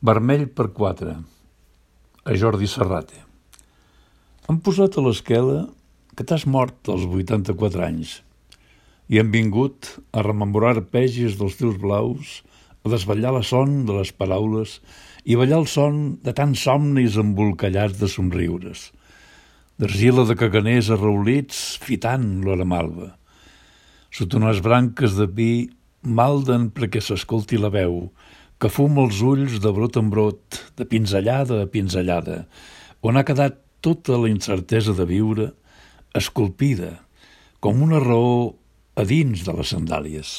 Vermell per 4, a Jordi Serrate. Han posat a l'esquela que t'has mort als 84 anys i hem vingut a rememorar arpegis dels teus blaus, a desvetllar la son de les paraules i ballar el son de tants somnis embolcallats de somriures, d'argila de caganers arraulits fitant l'hora malva. Sota unes branques de pi malden perquè s'escolti la veu, que fuma els ulls de brot en brot, de pinzellada a pinzellada, on ha quedat tota la incertesa de viure, esculpida, com una raó a dins de les sandàlies.